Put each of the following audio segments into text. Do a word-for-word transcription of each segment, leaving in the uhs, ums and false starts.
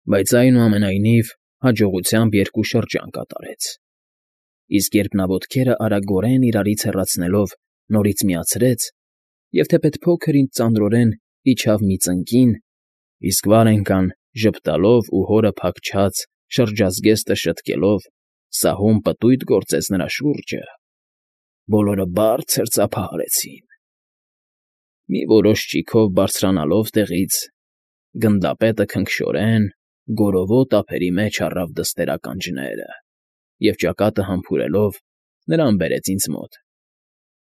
Բայց այնուամենայնիվ հաջողությամբ երկու շրջան կատարեց, իսկ երբ նա ոտքերը արագորեն իրարից հեռացնելով նորից միացրեց և թեպետ փոքր-ինչ ծանրորեն իջավ մի ծնկին, իսկ վար էնքան ժպտալով ու հորը փախչած շրջազգեստը շտկելով սահուն պտույտ գործեց նրա շուրջը, բոլորը բարձր ծափահարեցին. մի որոշ ճիգով բարձրանալով տեղից, գնդապետը քնքշորեն, գորովոտ ափերի մեջ առավ դստեր֊ականջները և ճակատը համբուրելով նրան բերեց ինձ մոտ,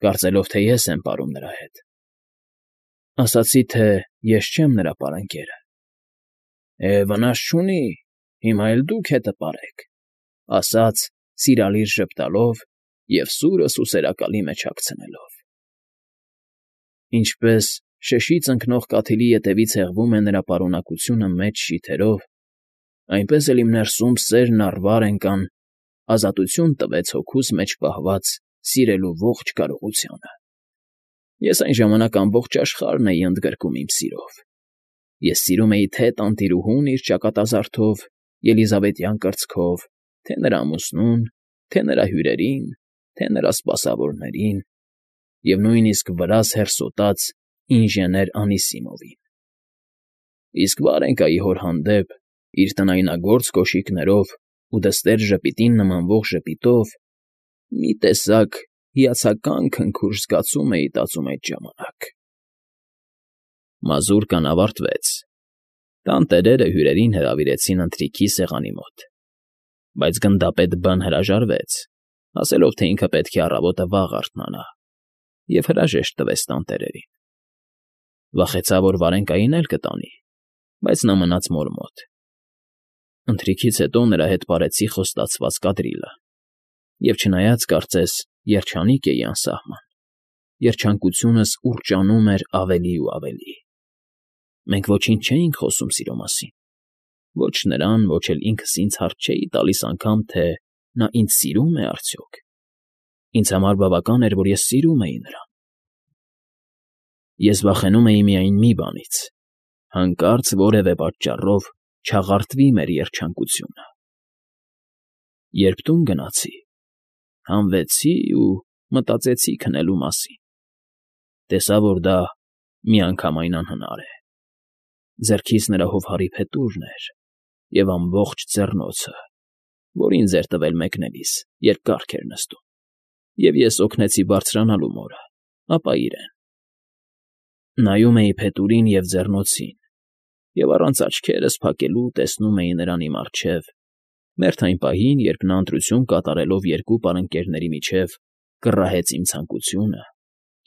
կարծելով, թե ես եմ պարում նրա հետ. ասացի, թե ես չեմ նրա պարանկերը։ ֊ Է, վնաս չունի, հիմա էլ դուք հետը պարեք, ֊ ասաց, սիրալիր ժպտալով և սուրը սուսերակալի մեջ հագցնելով։ Ինչպես շշից ընկնող կաթիլի ետևից հեղվում է նրա պարունակությունը մեծ շիթերով, այնպես էլ իմ ներսում սերն առ վար էնքան ազատություն տվեց հոգուս մեջ պահված սիրելու ողջ կարողությանը։ Ես այն ժամանակ ամբողջ աշխարհն էի ընդգրկում իմ սիրով։ Ես սիրում էի թե՛ տանտիրուհուն իր ճակատազարդով, ելիզավետյան կրծքով, թե՛ նրա ամուսնուն, թե՛ նրա հյուրերին, թե՛ նրա սպասավորներին և նույնիսկ վրաս հեռսոտած ինժեներ Անիսիմովին։ Իսկ Վարենկայի հոր հանդեպ, իր տնայնագործ կոշիկներով ու դստեր ժպիտին նմանվող ժպիտով, մի տեսակ հիացական քնքուշ զգացում էի տածում այդ ժամանակ։ Մազուրկան ավարտվեց։ Տանտերերը հյուրերին հրավիրեցին ընթրիքի սեղանի մոտ, բայց գնդապետ Բ֊ն հրաժարվեց, ասելով, թե ինքը պետք է առավոտը վաղ արթնանա, և հրաժեշտ տվեց տանտերերին։ Վախեցավ, որ Վարենկային էլ կտանի, բայց նա մնաց մոր մոտ։ Ընթրիքից հետո նրա հետ պարեցի խոստացված կադրիլը, և չնայած, կարծես, երջանիկ էի անսահման, երջանկությունս ուռճանում էր ավելի ու ավելի։ Մենք ոչինչ չէինք խոսում սիրո մասին, ոչ նրան, ոչ էլ ինքս ինձ հարց չէի տալիս անգամ, թե նա ինձ սիրո՞ւմ է արդյոք։ Ինձ համար բավական էր, որ ես սիրում էի նրան։ Ես վախենում էի միայն մի բանից՝ հանկարծ որևէ պատճառով չաղարտվի մեր երջանկությունը։ Երբ տուն գնացի, հանվեցի ու մտածեցի քնելու մասին։ Տեսա, որ դա միանգամայն անհնար է։ Ձեռքիս նրա հովհարի փետուրն էր և ամբողջ ձեռնոցը, որին ձեր տվել մեկնելիս, երբ կառք էր նստում, և ես օգնեցի բարձրանալու մորը, ապա իրեն։ Նայում էի փետուրին և ձեռնոցին և առանց աչքերս փակելու տեսնում էի նրան իմ առջև, մերթ այն պահին, երբ նա ընտրություն կատարելով երկու պարընկերների միջև կռահեց իմ ցանկությունը,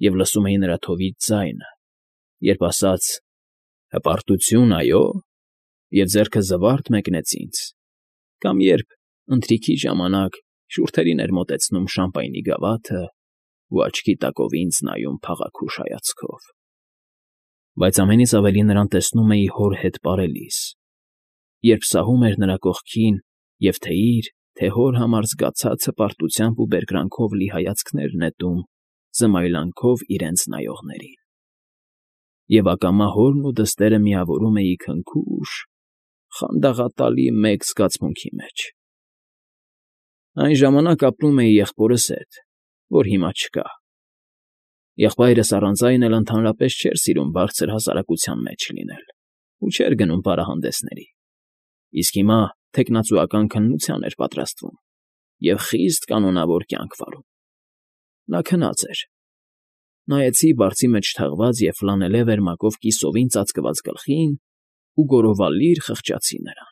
և լսում էի նրա թովիթ ձայնը, երբ ասաց. «Հպարտությո՞ւն, այո՞», և ձեռքը զվարթ մեկնեց ինձ, կամ երբ, ընթրիքի ժամանակ, շուրթերին էր մոտեցնում շամպայնի գավաթն ու աչքի տակով ինձ նայում փաղաքուշ հայացքով։ Բայց ամենից ավելի նրան տեսնում էի հոր հետ պարելիս, երբ սահում էր նրա կողքին և թե՛ իր, թե՛ հոր համար զգացած հպարտությամբ ու բերկրանքով լի հայացքներ նետում զմայլանքով իրենց նայողներին։ Եվ ակամա հորն ու դստերը միավորում էի քնքուշ, խանդաղատալի մեկ զգացմունքի մեջ։ Այն ժամանակ ապրում էի եղբորս հետ, որ հիմա չկա։ Եղբայրս առանց այն էլ ընդհանրապես չէր սիրում բարձր հասարակության մեջ լինել ու չէր գնում պարահանդեսների, իսկ հիմա թեկնածուական քննության էր պատրաստվում և խիստ կանոնավոր կյանք վարում։ Նա քնած էր։ Նայեցի բարձի մեջ թաղված և ֆլանելե վերմակով կիսովին ծածկված գլխին ու գոռովալիր խղճացի նրան։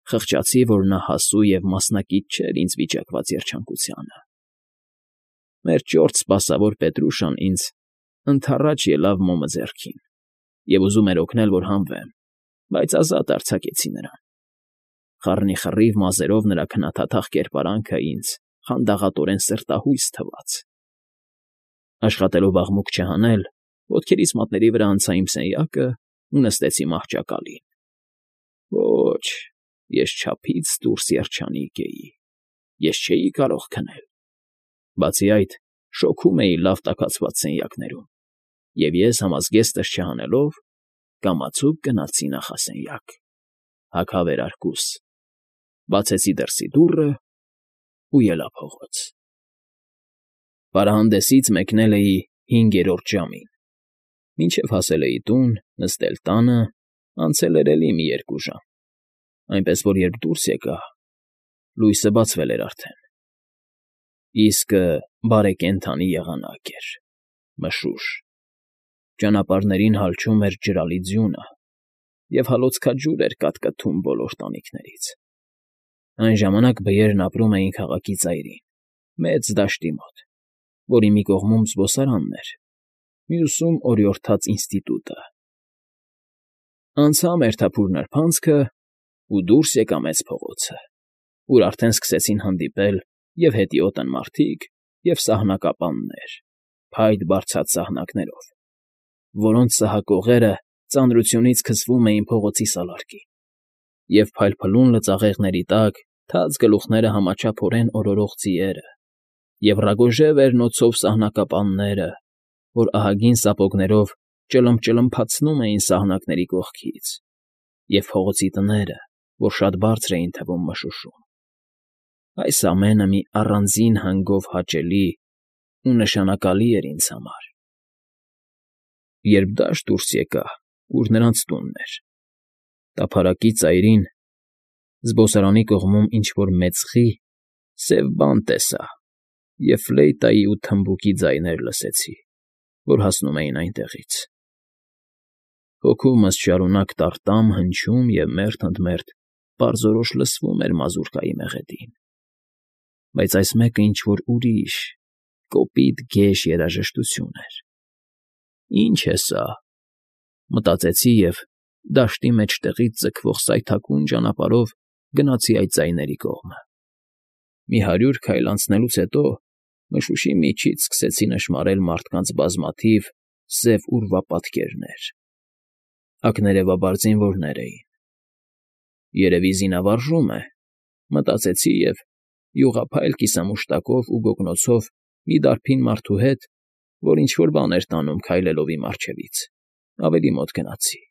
Խղճացի, որ նա հասու և մասնակից չէր ինձ վիճակված երջանկությանը։ Մեր ճորտ սպասավոր Պետրուշան ինձ ընդառաջ ելավ մոմը ձեռքին և ուզում էր օգնել, որ հանվեմ, բայց ազատ արձակեցի նրան։ Խառնիխռիվ մազերով նրա քննադատախ կերպարանքը ինձ խանդաղատորեն սրտահույս թվաց։ Աշխատելով աղմուկ չհանել, ոտքերիս մատների վրա անցա իմ սենյակն ու նստեցի մահճակալին։ Ոչ, ես չափից դուրս երջանիկ էի, ես չէի կարող քնել։ Բացի այդ, շոգում էի լավ տաքացված սենյակներում, և ես, համազգեստս չհանելով, կամացուկ գնացի նախասենյակ։ հագավեր արկուս, բացեցի դրսի դուռը ու ելա փողոց։ Պարահանդեսից մեկնել էի հինգերորդ ժամին, մինչև հասել էի տուն, նստել տանը, անցել էր էլի մի երկու ժամ, այնպես որ երբ դուրս եկա, լույսը բացվել էր արդեն։ Իսկը բարեկենդանի եղանակ էր, մշուշ, ճանապարհներին հալչում էր ջրալի ձյունը և հալոցքաջուր էր կատկթում բոլոր տանիքներից։ Այն ժամանակ բյերն ապրում էին քաղաքի ծայրին, մեծ դաշտի մոտ, որի մի կողմում զբոսարանն էր, մյուսում օրիորդաց ինստիտուտը։ Անցա մերթափուր նրբանցքը ու դուրս եկա մեծ փողոցը, ուր արդեն սկսեցին հանդիպել և հետիոտն մարդիկ, և սահնակապաններ, փայտ բարձած սահնակներով, որոնց սահակողերը ծանրությունից քսվում էին փողոցի սալարկին, և փայլփլուն լծաղեղների տակ թաց գլուխները համաչափորեն օրորող ձիերը, և ռագոժե վերնոցով սահնակապանները, որ ահագին սապոգներով ճլմփճլմփացնում էին սահնակների կողքից, և փողոցի տները, որ շատ բարձր էին թվում մշուշում։ Այս ամենը մի առանձին հանգով հաճելի ու նշանակալի էր ինձ համար։ Երբ դաշտ դուրս եկա, ուր նրանց տունն էր, տափարակի ծայրին, զբոսարանի կողմում ինչ֊որ մեծ խի, սև բան տեսա և ֆլեյտայի ու թմբուկի ձայներ լսեցի, որ հասնում էին այնտեղից։ Հոգումս շարունակ տարտամ հնչում և մերթ ընդ մերթ պարզորոշ լսվում էր մազուրկայի մեղեդին, բայց այս մեկը ինչ֊որ ուրիշ, կոպիտ գեշ երաժշտություն էր։ «Ի՞նչ է սա», մտածեցի և դաշտի մեջտեղից ձգվող սայթաքուն ճանապարհով գնացի այդ ձայների կողմը։ Մի հարյուր քայլ անցնելուց հետո մշուշի միջից սկսեցի նշմարել մարդկանց բազմաթիվ սև ուրվապատկերներ, ակներևաբար զինվորներ էին։ «Երևի զինավարժում է», մտածեցի և յուղափայլ կիսամուշտակով ու գոգնոցով մի դարբին մարդու հետ, որ ինչ֊որ բան էր տանում քայլելով իմ առջևից, ավելի մոտ գնացի։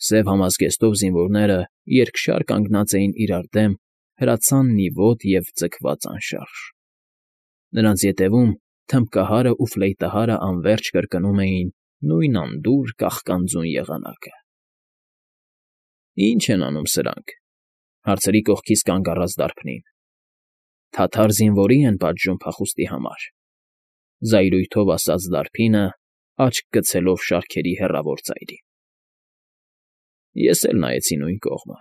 Սև համազգեստով զինվորները երկշար կանգնած էին իրար դեմ հրացան նիվոտ և ձգված անշարժ։ Նրանց ետևում թմբկահարն ու ֆլեյտահարն անվերջ կրկնում էին նույն անդուր կաղկանձուն եղանակը։ «Ի՞նչ են անում սրանք», հարցրի կողքիս կանգ առած դարբնին։ «Թաթար զինվորի են պատժում փախուստի համար», զայրույթով ասաց դարբինը, աչք գցելով շարքերի հեռավոր ծայրին։ Ես էլ նայեցի նույն կողմը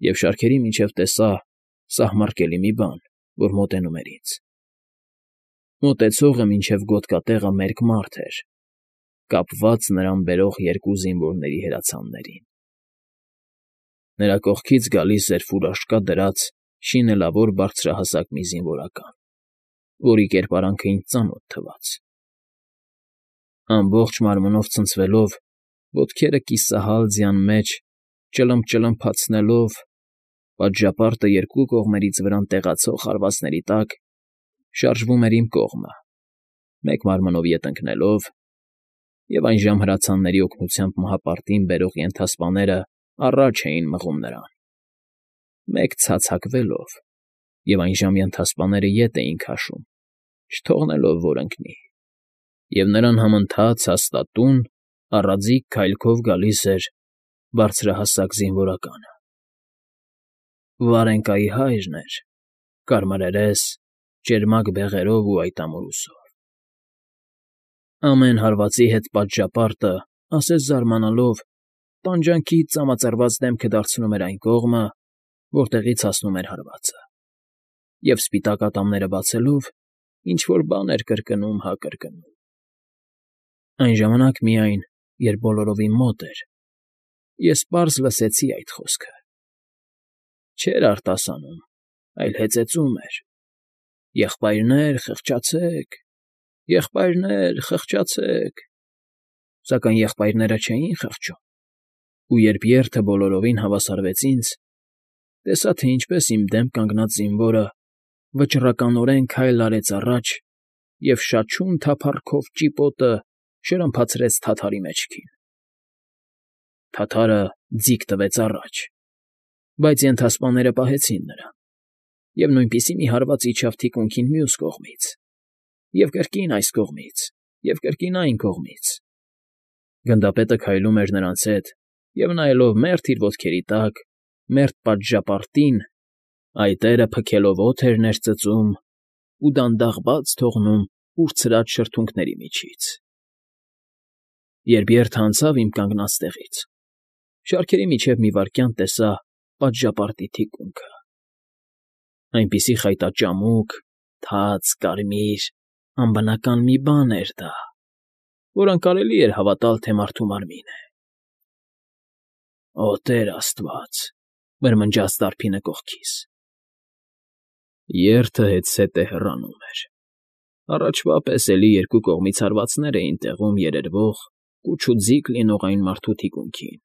և շարքերի միջև տեսա սահմռկելի մի բան, որ մոտենում էր ինձ։ Մոտեցողը մինչև գոտկատեղը մերկ մարդ էր, կապված նրան բերող երկու զինվորների հրացաններին։ Նրա կողքից գալիս էր ֆուրաշկա դրած շինելավոր բարձրահասակ մի զինվորական, որի կերպարանքը ինձ ծանոթ թվաց։ Ամբողջ մարմնով ցնցվելով, ոտքերը կիսահալ ձյան մեջ ճլմփճլմփացնելով, պատժապարտը երկու կողմերից վրան տեղացող հարվածների տակ, շարժվում էր իմ կողմը, մեկ մարմնով ետ ընկնելով, և այժմ հրացանների օգնությամբ մահապարտին բերող ենթասպաները առաջ էին մղում նրան, մեկ ցացակվելով, և այժմ ենթասպաները ետ էին քաշում, չթողնելով, որ ընկնի, և նրան համընթաց հաստատուն, առաձիգ քայլքով գալիս էր բարձրահասակ զինվորականը։ Վարենկայի հայրն էր, կարմրերես, ճերմակ բեղերով ու այտամորուսով։ Ամեն հարվածի հետ պատժապարտը, ասես զարմանալով, տանջանքից ծամածրված դեմքը դարձնում էր այն կողմը, որտեղից հասնում էր հարվածը, և սպիտակ ատամները բացելով, ինչ֊որ բան էր կրկնում հա կրկնում։ Այն ժամանակ միայն, երբ բոլորովին մոտ էր, ես պարզ լսեցի այդ խոսքը։ Չէր արտասանում, այլ հեծեծում էր. «Եղբայրներ, խղճացե՛ք, եղբայրներ, խղճացե՛ք»։ Սակայն եղբայրները չէին խղճում, ու երբ երթը բոլորովին հավասարվեց ինձ, տեսա, թե ինչպես իմ դեմ կանգնած զինվորը վճռականորեն քայլ արեց առաջ և շաչուն թափառքով ճիպոտը շրմփացրեց թաթարի մեջքին։ Թաթարը ձիգ տվեց առաջ, բայց ենթասպաները պահեցին նրան, և նույնպիսի մի հարված իջավ թիկունքին մյուս կողմից, և կրկին այս կողմից, և կրկին այն կողմից. գնդապետը քայլում էր նրանց հետ և, նայելով մերթ իր ոտքերի տակ, մերթ պատժապարտին, այտերը փքելով օդ էր ներծծում ու դանդաղ բաց թողնում ուրցրած շրթունքների միջից։ Երբ երթը անցավ իմ կանգնած տեղից, շարքերի միջև մի վայրկյան տեսա պատժապարտի թիկունքը. այնպիսի խայտաճամուկ, թաց, կարմիր, անբնական մի բան էր դա, որ անկարելի էր հավատալ, թե մարդու մարմին է։ «Օ Տեր աստված,֊ մրմնջաց դարբինը կողքիս»։ Երթը հետզհետե հեռանում էր։ Առաջվա պես էլի երկու կողմից հարվածներ էին տեղում երերվող, կուչ ու ձիգ լինող այն մարդու թիկունքին,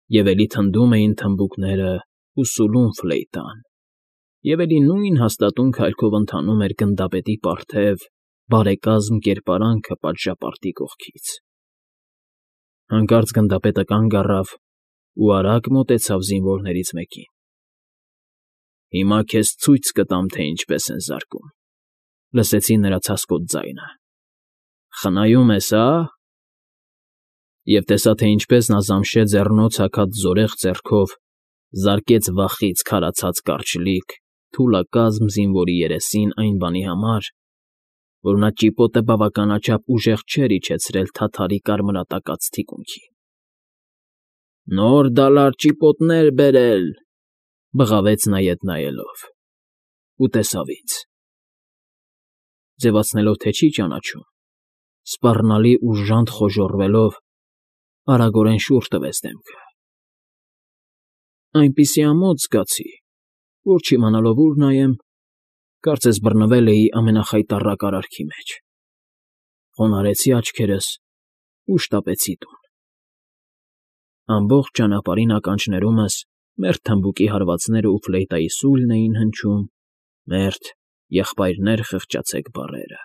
և էլի թնդում էին թմբուկներն ու սուլում ֆլեյտան, և էլի նույն հաստատուն քայլքով ընթանում էր գնդապետի պարթև, բարեկազմ կերպարանքը պատժապարտի կողքից։ Հանկարծ գնդապետը կանգ առավ ու արագ մոտեցավ զինվորներից մեկին։ «Հիմա քեզ ցույց կտամ, թե ինչպես են զարկում,֊ լսեցի նրա ցասկոտ ձայնը,֊ խնայում ես, հա՞»։ Եվ տեսա, թե ինչպես նա զամշե ձեռնոց հագած զորեղ ձեռքով զարկեց վախից քարացած կարճլիկ, թուլակազմ զինվորի երեսին այն բանի համար, որ նա ճիպոտը բավականաչափ ուժեղ չէր իջեցրել թաթարի կարմրատակած թիկունքին։ «Նոր դալար ճիպոտներ բերել,֊ բղավեց նա ետ նայելով, ու տեսավ ինձ։ Ձևացնելով, թե չի ճանաչում, սպառնալի ուժանտ խոժոռվելով, արագորեն շուռ տվեց դեմքը։ Այնպիսի ամոթ զգացի, որ, չիմանալով ուր նայեմ, կարծես բռնվել էի ամենախայտառակ արարքի մեջ։ Խոնարհեցի աչքերս ու շտապեցի տուն։ Ամբողջ ճանապարհին ականջներումս մերթ թմբուկի հարվածներն ու ֆլեյտայի սուլն էին հնչում, մերթ «եղբայրներ խղճացեք» բառերը,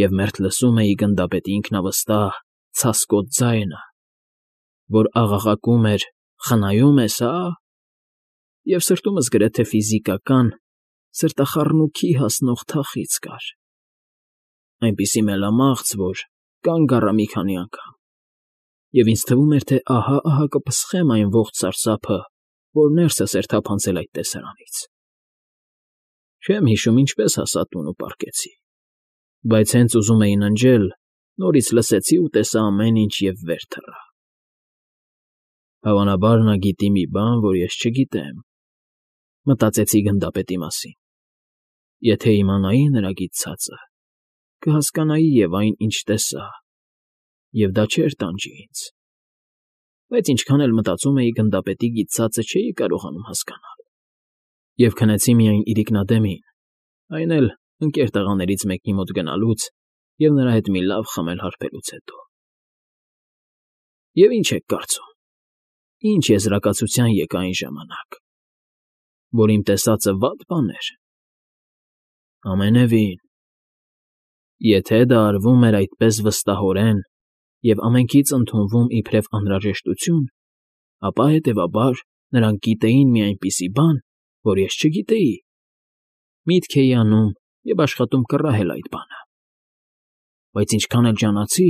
և մերթ լսում էի գնդապետի ինքնավստահ, ցասկոտ ձայնը, որ աղաղակում էր. «Խնայում ես, հա՞», և սրտումս գրեթե ֆիզիկական, սրտախառնուքի հասնող թախիծ կար, այնպիսի մելամաղձ, որ կանգ առա մի քանի անգամ, և ինձ թվում էր, թե ահա֊ահա կպսխեմ այն ողջ սարսափը, որ ներսս էր թափանցել այդ տեսարանից։ Չեմ հիշում ինչպես հասա տուն ու պառկեցի, բայց հենց ուզում էի ննջել, նորից լսեցի ու տեսա ամեն ինչ և վեր թռա։ Հավանաբար նա գիտի մի բան, որ ես չգիտեմ, մտածեցի գնդապետի մասին։ Եթե իմանայի նրա գիտցածը, կհասկանայի և այն, ինչ տեսա, և դա չէր տանջի ինձ։ Բայց ինչքան էլ մտածում էի գնդապետի գիտցածը, չէի կարողանում հասկանալ, և քնեցի միայն իրիկնադեմին, այն էլ ընկեր տղաներից մեկի մոտ գնալուց և նրա հետ մի լավ խմել հարբելուց հետո։ Եվ ինչ եք կարծում, ինչ եզրակացության եկա այն ժամանակ, որ իմ տեսածը վատ բան էր։ Ամենևին, եթե դա արվում էր այդպես վստահորեն և ամենքից ընդունվում իբրև անհրաժեշտություն, ապա, հետևաբար, նրանք գիտեին մի այնպիսի բան, որ ես չգիտեի, միտք էի անում և աշխատում կռահել այդ բանը։ Բայց ինչքան էլ ջանացի,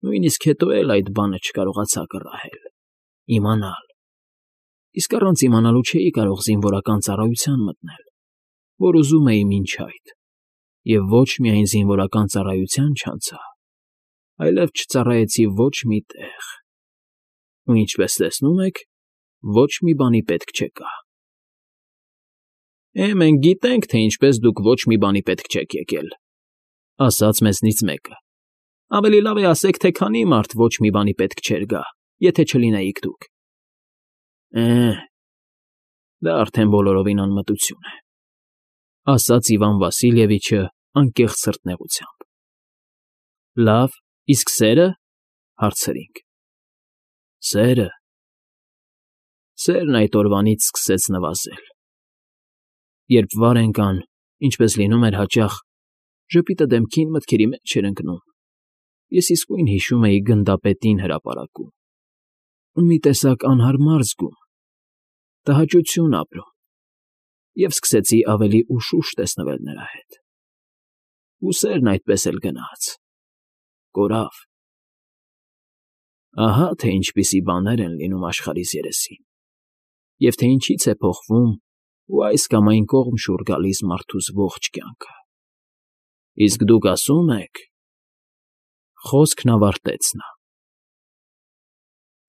նույնիսկ հետո էլ այդ բանը չկարողացա կռահել, իմանալ, իսկ առանց իմանալու չէի կարող զինվորական ծառայության մտնել, որ ուզում էի մինչ այդ, և ոչ միայն զինվորական ծառայության չանցա, այլև չծառայեցի ոչ մի տեղ, ու, ինչպես տեսնում եք, ոչ մի բանի պետք չեկա։ ֊ Է, մենք գիտենք, թե ինչպես դուք ոչ մի բանի պետք չեք եկել,֊ ասաց մեզնից մեկը։ Ավելի լավ է ասեք, թե քանի մարդ ոչ մի բանի պետք չէր գա, եթե չլինեիք դուք։ ֊ Է, դա արդեն բոլորովին անմտություն է,֊ ասաց Իվան Վասիլևիչը անկեղծ սրտնեղությամբ։ ֊ Լավ, իսկ սերը,֊ հարցրինք։ ֊ Սերը… Սերն այդ օրվանից սկսեց նվազել։ Երբ վար ընկան, ինչպես լինում էր հաճախ, ժպիտը դեմքին մտքերի մեջ էր ընկնում, ես իսկույն հիշում էի գնդապետին հրապարակում, մի տեսակ անհարմար զգում, տհաճություն ապրում և սկսեցի ավելի ուշուշ տեսնվել նրա հետ, ու սերն այդպես էլ գնաց, կորավ… Ահա թե ինչպիսի բաներ են լինում աշխարհիս երեսին, և թե ինչից է փոխվում ու այս կամ այն կողմ շուռ գալիս մարդուս ողջ կյանքը… Իսկ դուք ասում եք… Խոսքն ավարտեց նա…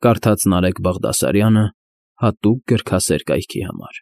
Կարդաց Նարեկ Բաղդասարյանը հատուկ գրքասեր կայքի համար։